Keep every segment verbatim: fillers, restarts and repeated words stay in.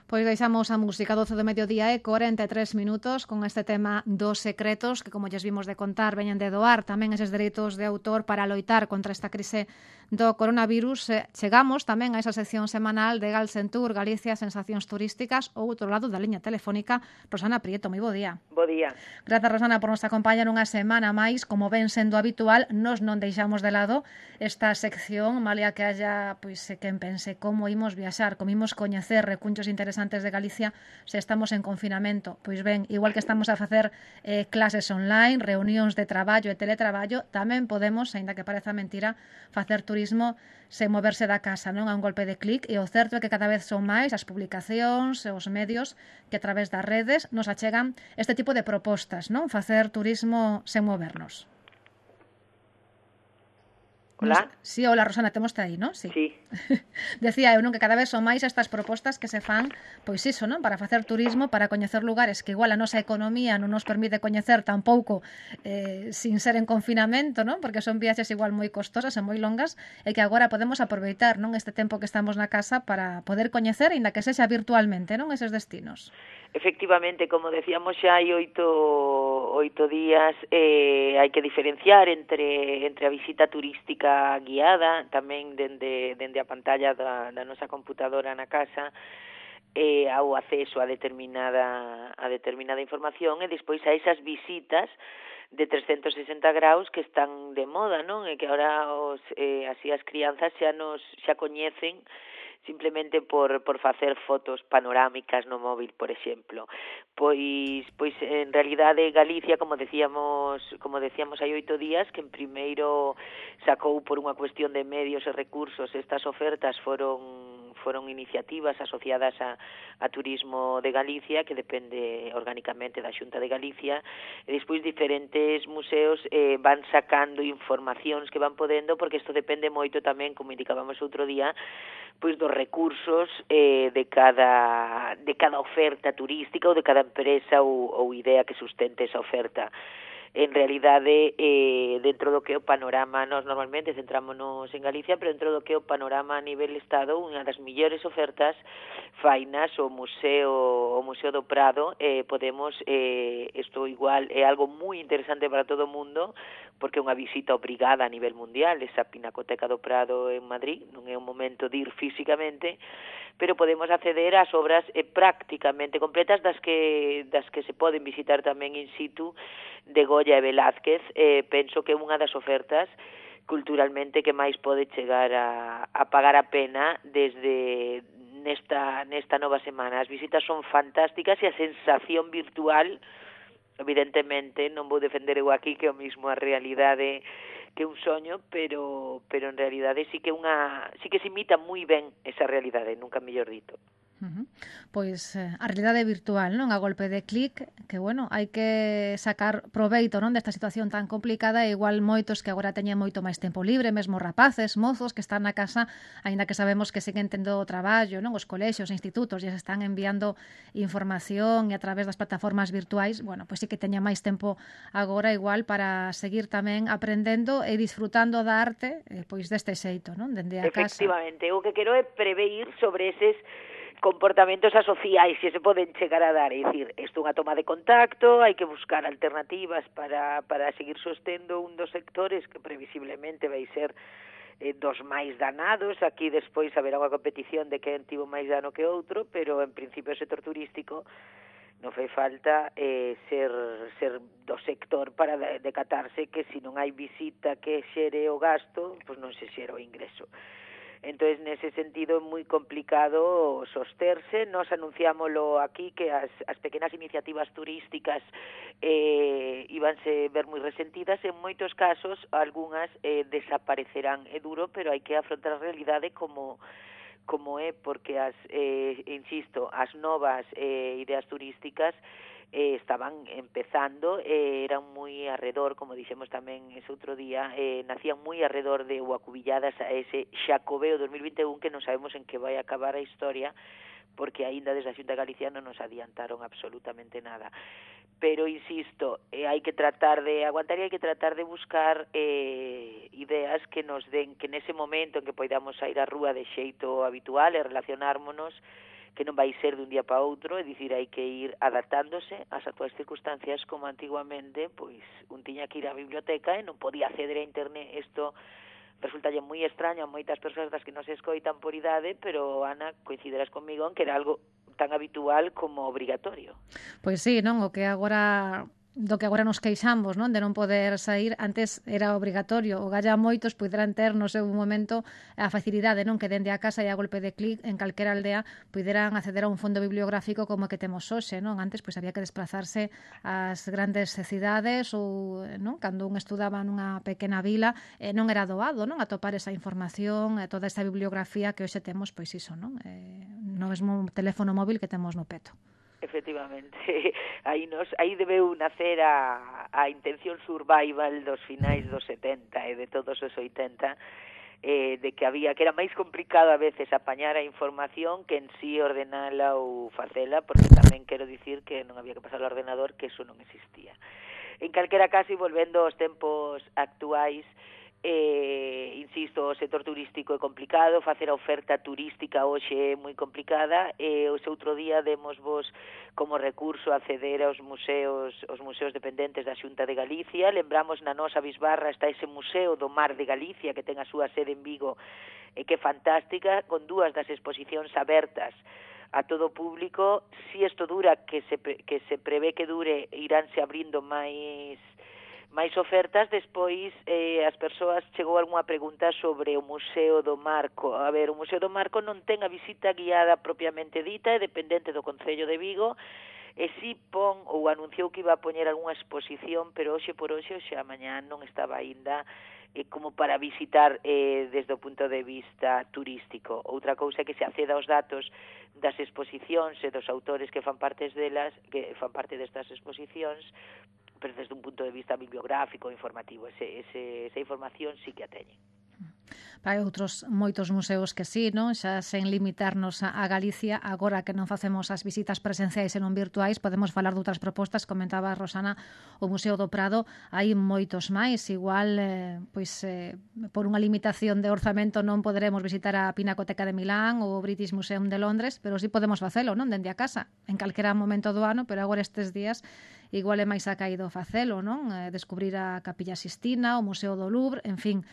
Pois deixamos a música doce do mediodía e corenta e tres minutos con este tema dos secretos que, como lles vimos de contar, veñen de doar tamén eses dereitos de autor para loitar contra esta crise do coronavirus. Chegamos tamén a esa sección semanal de Galsentur, Galicia, Sensacións Turísticas, ou outro lado da liña telefónica, Rosana Prieto. Moi bo día. Bo día. Grazas, Rosana, por nos acompañar unha semana máis. Como ven sendo habitual, nos non deixamos de lado esta sección, malia que haya, pois, quen pense como imos viaxar, como imos coñecer recunchos interesantes de Galicia se estamos en confinamento. Pois ben, igual que estamos a facer eh, clases online, reunións de traballo e teletraballo, tamén podemos, aínda que pareza mentira, facer turismo sen moverse da casa, non? A un golpe de clic, e o certo é que cada vez son máis as publicacións e os medios que a través das redes nos achegan este tipo de propostas, non? Facer turismo sen movernos. Hola. Nos... Sí, hola, Rosana, temos aí, non? Sí. Sí. Decía eu, non, que cada vez son máis estas propostas que se fan, pois iso, non? Para facer turismo, para coñecer lugares que igual a nosa economía non nos permite coñecer tampouco eh, sin ser en confinamento, non? Porque son viaxes igual moi costosas e moi longas e que agora podemos aproveitar, non? Este tempo que estamos na casa para poder coñecer, aínda que sexa virtualmente, non? Eses destinos. Efectivamente, como decíamos xa hai oito, oito días, eh, hai que diferenciar entre, entre a visita turística guiada, tamén dende, dende a pantalla da, da nosa computadora na casa, eh, ao acceso a determinada, a determinada información, e despois a esas visitas de trescentos sesenta graus que están de moda, non? E que agora os, eh, así as crianzas xa nos xa coñecen simplemente por, por facer fotos panorámicas no móvil, por exemplo. Pois, pois en realidade Galicia, como decíamos, como decíamos hai oito días, que en primeiro sacou por unha cuestión de medios e recursos estas ofertas foron foron iniciativas asociadas a, a Turismo de Galicia, que depende orgánicamente da Xunta de Galicia, e despois diferentes museos eh, van sacando informacións que van podendo, porque isto depende moito tamén, como indicábamos outro día, pois dos recursos eh, de cada de cada oferta turística ou de cada empresa ou, ou idea que sustente esa oferta. En realidade, eh, dentro do que é o panorama, nós normalmente centrámonos en Galicia, pero dentro do que é o panorama a nivel Estado, unha das millores ofertas fainas o Museo o Museo do Prado. eh, podemos, eh, isto igual é algo moi interesante para todo o mundo, porque é unha visita obrigada a nivel mundial, esa Pinacoteca do Prado en Madrid, non é un momento de ir físicamente, pero podemos acceder ás obras eh, prácticamente completas das que das que se poden visitar tamén in situ de Goya e Velázquez. Eh, penso que é unha das ofertas culturalmente que máis pode chegar a, a pagar a pena desde nesta, nesta nova semana. As visitas son fantásticas e a sensación virtual, evidentemente, non vou defender eu aquí que é o mismo a realidade que un soño, pero pero en realidade sí que unha sí que se imita moi ben esa realidade, nunca mellor dito. Uh-huh. Pois eh, a realidade virtual, non? A golpe de clic, que, bueno, hai que sacar proveito, non, desta situación tan complicada, e igual moitos que agora teñen moito máis tempo libre, mesmo rapaces, mozos que están na casa, aínda que sabemos que siguen tendo o traballo, non? Os colexios e institutos e se están enviando información e a través das plataformas virtuais, bueno, pois sí que teña máis tempo agora igual para seguir tamén aprendendo e disfrutando da arte, eh, pois deste xeito, non? Dende a casa. Efectivamente, o que quero é preveir sobre eses comportamentos asociais que se poden chegar a dar, é dicir, isto é unha toma de contacto, hai que buscar alternativas para, para seguir sostendo un dos sectores que previsiblemente vai ser eh, dos máis danados. Aquí despois haberá unha competición de quen tivo máis dano que outro, pero en principio o sector turístico non fai falta eh, ser, ser do sector para decatarse que se non hai visita que xere o gasto, pois non se xera o ingreso. Entón, nese sentido, é moi complicado sosterse. Nos anunciámoslo aquí, que as, as pequenas iniciativas turísticas eh, íbanse ver moi resentidas. En moitos casos, algunhas eh, desaparecerán. É duro, pero hai que afrontar a realidade como como é, porque, as eh, insisto, as novas eh, ideas turísticas eh, estaban empezando, eh, eran moi arredor, como dixemos tamén ese outro día, eh, nacían moi arredor de ou acubilladas a ese Xacobeo dos mil vinte e un, que non sabemos en que vai acabar a historia, porque aínda desde a Xunta de Galicia non nos adiantaron absolutamente nada. Pero, insisto, eh, hai que tratar de aguantar e hai que tratar de buscar eh, ideas que nos den, que nese momento en que poidamos sair á rúa de xeito habitual e relacionármonos, que non vai ser de un día para outro, é dicir, hai que ir adaptándose ás actuais circunstancias, como antiguamente, pois, un tiña que ir á biblioteca e non podía acceder a internet. Isto resultalle moi extraño a moitas persoas das que non se escoitan por idade, pero, Ana, coinciderás comigo en que era algo tan habitual como obrigatorio. Pois sí, non? O que agora do que agora nos queixamos, non? De non poder sair, antes era obrigatorio. O galla moitos poderán ter no seu momento a facilidade, non? Que dende a casa e a golpe de clic en calquera aldea poderán acceder a un fondo bibliográfico como que temos hoxe, non? Antes pois había que desplazarse ás grandes cidades ou, non? Cando un estudaba nunha pequena vila, eh, non era doado, non? Atopar esa información, eh, toda esa bibliografía que hoxe temos, pois iso, non? Eh, no mesmo teléfono móvil que temos no peto. Efectivamente, aí nos aí debeu nacer a, a intención survival dos finais dos setenta e de todos os oitenta, eh, de que había que era máis complicado a veces apañar a información que en sí ordenala ou facela, porque tamén quero dicir que non había que pasar ao ordenador, que eso non existía. En calquera caso, e volvendo aos tempos actuais, Eh, insisto, o sector turístico é complicado, facer a oferta turística hoxe é moi complicada, e o outro día demos vos como recurso acceder aos museos, os museos dependentes da Xunta de Galicia. Lembramos, na nosa bisbarra está ese Museo do Mar de Galicia, que ten a súa sede en Vigo, e que é fantástica, con dúas das exposicións abertas a todo público. Si isto dura, que se, que se prevé que dure, iránse abrindo máis máis ofertas. Despois, eh, as persoas chegou algunha pregunta sobre o Museo do Marco. A ver, o Museo do Marco non ten a visita guiada propiamente dita, é dependente do Concello de Vigo, e si pon ou anunciou que iba a poñer algunha exposición, pero hoxe por hoxe, hoxe a mañá non estaba aínda eh, como para visitar eh, desde o punto de vista turístico. Outra cousa é que se acceda aos datos das exposicións e dos autores que fan partes delas, que fan parte destas exposicións, pero desde un punto de vista bibliográfico, informativo, ese, ese, esa información sí que a teñen. Hai outros moitos museos que sí, non? Xa sen limitarnos a, a Galicia, agora que non facemos as visitas presenciais e non virtuais, podemos falar de outras propostas. Comentaba Rosana o Museo do Prado, hai moitos máis, igual eh, pois eh, por unha limitación de orzamento non poderemos visitar a Pinacoteca de Milán ou o British Museum de Londres, pero sí podemos facelo, non? Dende a casa, en calquera momento do ano, pero agora estes días igual é máis acaído facelo, non? Eh, descubrir a Capilla Sistina, o Museo do Louvre, en fin,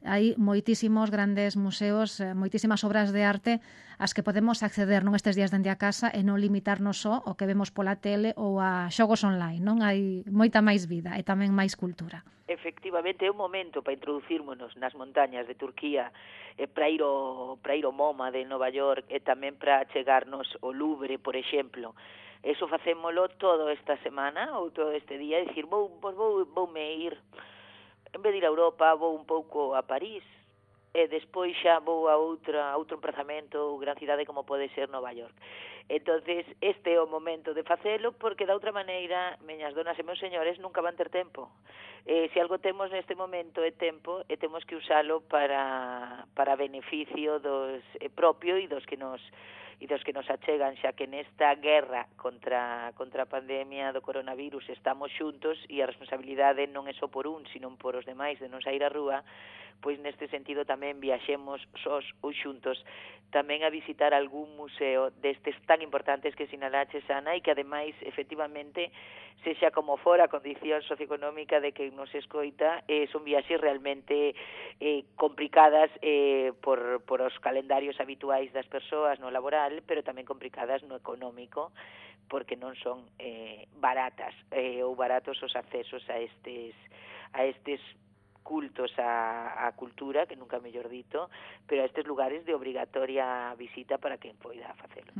hai moitísimos grandes museos, moitísimas obras de arte ás que podemos acceder non estes días dende a casa e non limitarnos só ao que vemos pola tele ou a xogos online, non? Hai moita máis vida e tamén máis cultura. Efectivamente, é un momento para introducirmonos nas montañas de Turquía, e para ir ao, para ir ao MoMA de Nova York, e tamén para chegarnos ao Louvre, por exemplo. Eso facémolo todo esta semana ou todo este día, e dicir, vou, vou, voume ir, en vez de ir a Europa, vou un pouco a París, e despois xa vou a outra, a outro emprazamento ou gran cidade como pode ser Nova York. Entonces, este é o momento de facelo, porque da outra maneira, meñas donas e meus señores, nunca van ter tempo. Eh, se algo temos neste momento é tempo, e temos que usalo para, para beneficio dos eh, propio e dos que nos e dos que nos achegan, xa que nesta guerra contra, contra a pandemia do coronavirus estamos xuntos, e a responsabilidade non é só por un, sino por os demais de non sair á rúa, pois neste sentido tamén viaxemos sós ou xuntos tamén a visitar algún museo destes tan importantes que sinalaches, Ana, e que ademais, efectivamente, sexa como fora a condición socioeconómica de que nos escoita, eh, son viaxes realmente eh, complicadas eh, por, por os calendarios habituais das persoas no laboral, pero tamén complicadas no económico, porque non son eh, baratas eh, ou baratos os accesos a estes a estes cultos a, a cultura, que nunca mellor dito, pero a estes lugares de obrigatoria visita para quen poida facelo.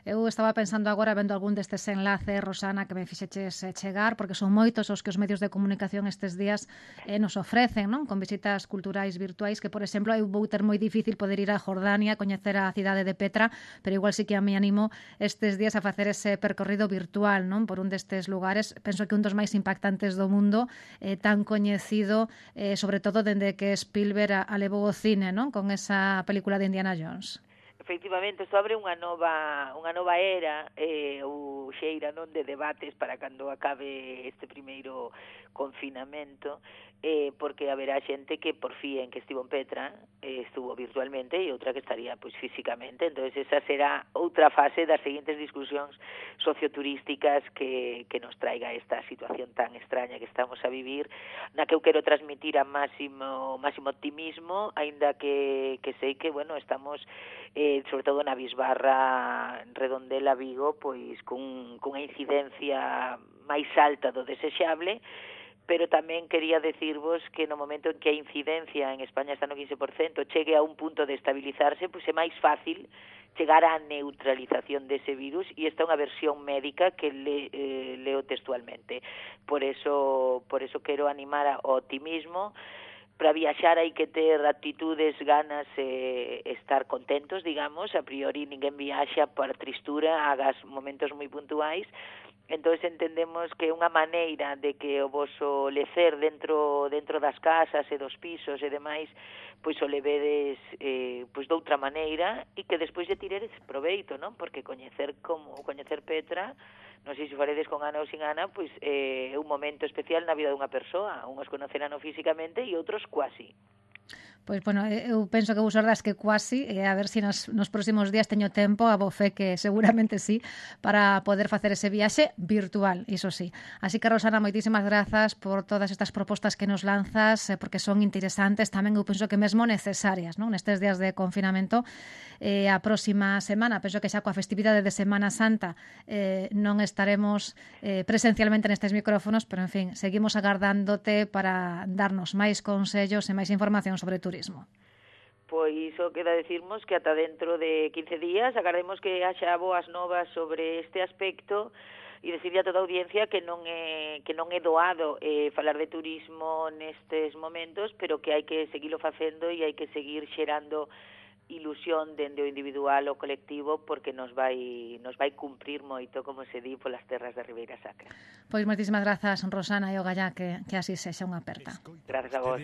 Eu estaba pensando agora, vendo algún destes enlaces, Rosana, que me fixeches chegar, porque son moitos os que os medios de comunicación estes días eh, nos ofrecen, non? Con visitas culturais virtuais, que, por exemplo, eu vou ter moi difícil poder ir a Jordania, coñecer a cidade de Petra, pero igual sí que a mí animo estes días a facer ese percorrido virtual, non? Por un destes lugares, penso que un dos máis impactantes do mundo, eh, tan coñecido, eh, sobre todo dende que Spielberg alevou o cine, non? Con esa película de Indiana Jones. Efectivamente, isto abre unha nova unha nova era, eh, o xeira, non, de debates para cando acabe este primeiro confinamento, eh, porque haberá xente que por fin que estivo en Petra, eh, estuvo virtualmente, e outra que estaría pois físicamente. Entonces esa será outra fase das seguintes discusións socioturísticas que, que nos traiga esta situación tan extraña que estamos a vivir, na que eu quero transmitir a máximo máximo optimismo, aínda que, que sei que, bueno, estamos eh, sobre todo na Bisbarra, Redondela, Vigo, pois cun, cunha incidencia máis alta do desexable, pero tamén quería decirvos que no momento en que a incidencia en España está no quince por cento chegue a un punto de estabilizarse, pois é máis fácil chegar á neutralización dese virus, e esta é unha versión médica que le, eh, leo textualmente. Por eso, por eso quero animar ao optimismo. Para viaxar hai que ter actitudes, ganas e estar contentos, digamos. A priori ninguén viaxa por tristura, hagas momentos moi puntuais. Entón entendemos que unha maneira de que o voso lecer dentro dentro das casas e dos pisos e demais, pois o levedes eh, pois doutra maneira, e que despois lle tiredes proveito, non? Porque coñecer como coñecer Petra, non sei se faredes con Ana ou sin Ana, pois é eh, un momento especial na vida dunha persoa. Uns conocerán físicamente e outros cuasi. Pois, bueno, eu penso que vos ordas que cuasi, e a ver se si nos, nos próximos días teño tempo, a bo fe que seguramente sí, para poder facer ese viaxe virtual, iso sí. Así que, Rosana, moitísimas grazas por todas estas propostas que nos lanzas, porque son interesantes, tamén eu penso que mesmo necesarias, non? Nestes días de confinamento. Eh, a próxima semana, penso que xa coa festividade de Semana Santa eh, non estaremos eh, presencialmente nestes micrófonos, pero, en fin, seguimos agardándote para darnos máis consellos e máis información sobre turismo. Pois o queda decirmos que ata dentro de quince días agardemos que haxa boas novas sobre este aspecto, e decirle a toda a audiencia que non é que non é doado eh, falar de turismo nestes momentos, pero que hai que seguilo facendo e hai que seguir xerando ilusión dende o individual ou colectivo, porque nos vai nos vai cumprir moito, como se di, polas terras da Ribeira Sacra. Pois moitísimas grazas, Rosana, e o gallá que, que así sexa unha aperta. Grazas a vos.